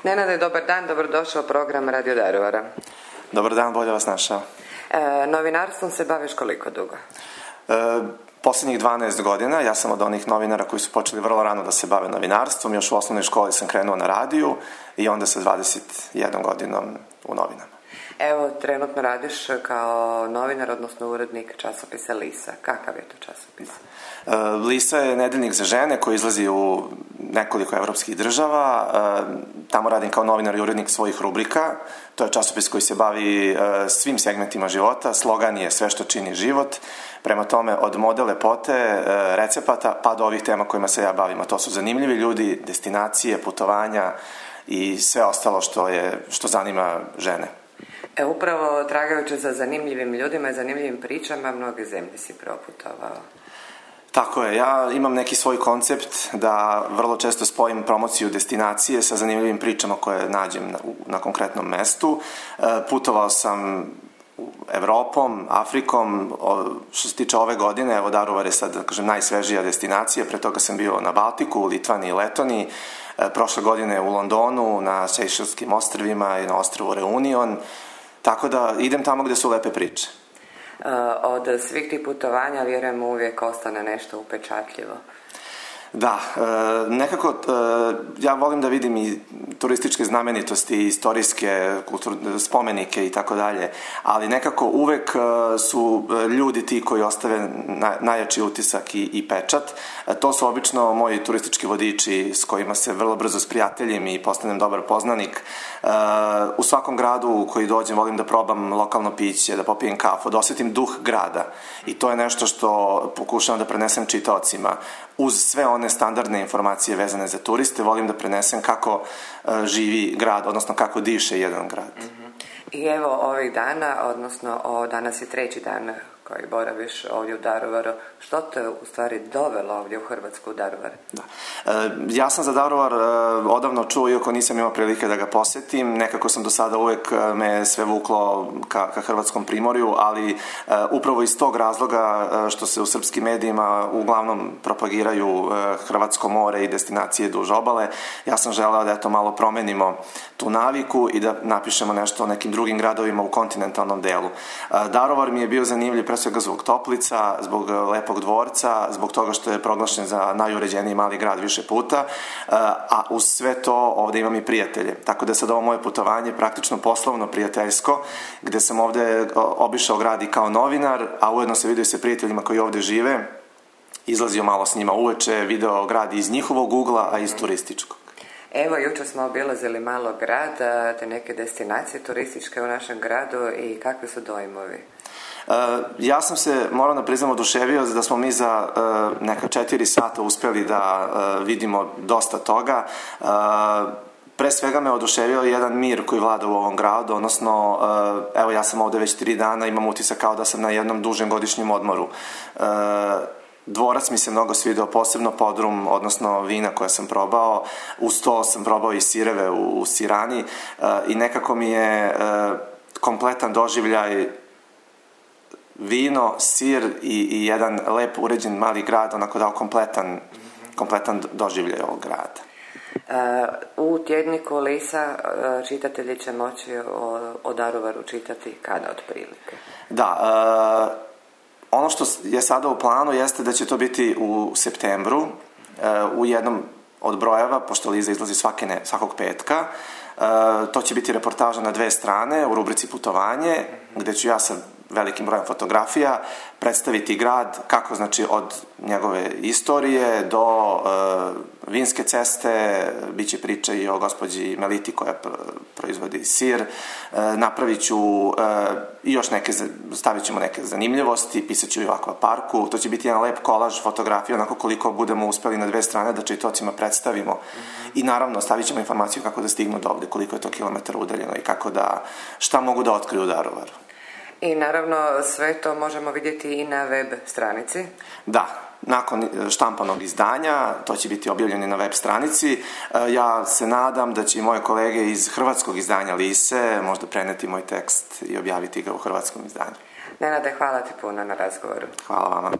Nenade, dobar dan, dobrodošao u program Radio Daruvara. Dobar dan, bolje vas našao. Novinarstvom se baviš koliko dugo? Poslednjih 12 godina. Ja sam od onih novinara koji su počeli vrlo rano da se bave novinarstvom. Još u osnovnoj školi sam krenuo na radiju i onda sa 21 godinom u novinama. Evo, trenutno radiš kao novinar, odnosno urednik časopisa Lisa. Kakav je to časopis? Lisa je nedeljnik za žene koji izlazi u nekoliko evropskih država. Tamo radim kao novinar i urednik svojih rubrika. To je časopis koji se bavi svim segmentima života. Slogan je sve što čini život. Prema tome, od mode lepote, recepata, pa do ovih tema kojima se ja bavim. A to su zanimljivi ljudi, destinacije, putovanja i sve ostalo što zanima žene. Upravo tragajući za zanimljivim ljudima i zanimljivim pričama, mnoge zemlje si proputovao. Tako je, ja imam neki svoj koncept da vrlo često spojim promociju destinacije sa zanimljivim pričama koje nađem na konkretnom mestu. Putovao sam Evropom, Afrikom, što se tiče ove godine, evo Daruvar je sad, da kažem, najsvežija destinacija, pre toga sam bio na Baltiku, u Litvaniji i Letoniji, prošle godine u Londonu, na Sejšelskim ostrvima i na ostrvu Reunion, tako da idem tamo gde su lepe priče. Od svih tih putovanja, vjerujem, uvijek ostane nešto upečatljivo. Da, nekako ja volim da vidim i turističke znamenitosti, istorijske spomenike i tako dalje, ali nekako uvek su ljudi ti koji ostave najjači utisak i pečat. To su obično moji turistički vodiči s kojima se vrlo brzo sprijateljim i postanem dobar poznanik. U svakom gradu u koji dođem volim da probam lokalno piće, da popijem kafu, da osjetim duh grada i to je nešto što pokušavam da prenesem čitaocima. Uz sve one standardne informacije vezane za turiste, volim da prenesem kako živi grad, odnosno kako diše jedan grad. I evo ovih dana, odnosno danas je 3. dan koji boraviš ovdje u Daruvaru. Što te u stvari dovelo ovdje u Hrvatsku u Daruvar? Da. Ja sam za Daruvar odavno čuo, iako nisam imao prilike da ga posetim. Nekako sam do sada uvek me sve vuklo ka Hrvatskom primorju, ali upravo iz tog razloga što se u srpskim medijima uglavnom propagiraju Hrvatsko more i destinacije duž obale, ja sam želeo da eto malo promenimo tu naviku i da napišemo nešto o nekim drugim gradovima u kontinentalnom delu. Daruvar mi je bio zanimljiv pre svega zbog Toplica, zbog lepog dvorca, zbog toga što je proglašen za najuređeniji mali grad više puta, a uz sve to ovde imam i prijatelje. Tako da je sad ovo moje putovanje praktično poslovno prijateljsko, gde sam ovde obišao grad i kao novinar, a ujedno se vidio sa prijateljima koji ovde žive, izlazio malo s njima uveče, video grad iz njihovog ugla, a iz turističkog. Evo, jučer smo obilazili malo grad, te neke destinacije turističke u našem gradu i kakvi su dojmovi? Ja sam se, moram da priznam, oduševio da smo mi za neka 4 sata uspeli da vidimo dosta toga. Pre svega me oduševio jedan mir koji vlada u ovom gradu, odnosno, evo ja sam ovde već 3 dana, imam utisak kao da sam na jednom dužem godišnjem odmoru. Dvorac mi se mnogo svidao, posebno podrum, odnosno vina koja sam probao. Uz to sam probao i sireve u sirani i nekako mi je kompletan doživljaj vino, sir i jedan lep uređen mali grad onako dao kompletan doživljaj ovog grada. U tjedniku Lisa čitatelji će moći o Daruvaru čitati kada otprilike? Da, ono što je sada u planu jeste da će to biti u septembru u jednom od brojeva, pošto Liza izlazi svakog petka. To će biti reportaža na 2 strane u rubrici Putovanje, gde ću ja sa velikim brojem fotografija predstaviti grad, kako znači od njegove istorije do vinske ceste, bit će priča i o gospođi Meliti koja proizvodi sir, napravit ću i još neke, stavit ćemo neke zanimljivosti, pisat ću i u akvaparku, to će biti jedan lep kolaž fotografija, onako koliko budemo uspeli na 2 strane da čitaocima predstavimo i naravno stavit ćemo informaciju kako da stignu do ovde, koliko je to kilometara udaljeno i kako da, šta mogu da otkriju u Daruvaru. I naravno sve to možemo vidjeti i na web stranici. Da, nakon štampanog izdanja, to će biti objavljeno na web stranici. Ja se nadam da će i moje kolege iz hrvatskog izdanja Lise možda preneti moj tekst i objaviti ga u hrvatskom izdanju. Nenade, hvala ti puno na razgovoru. Hvala vama.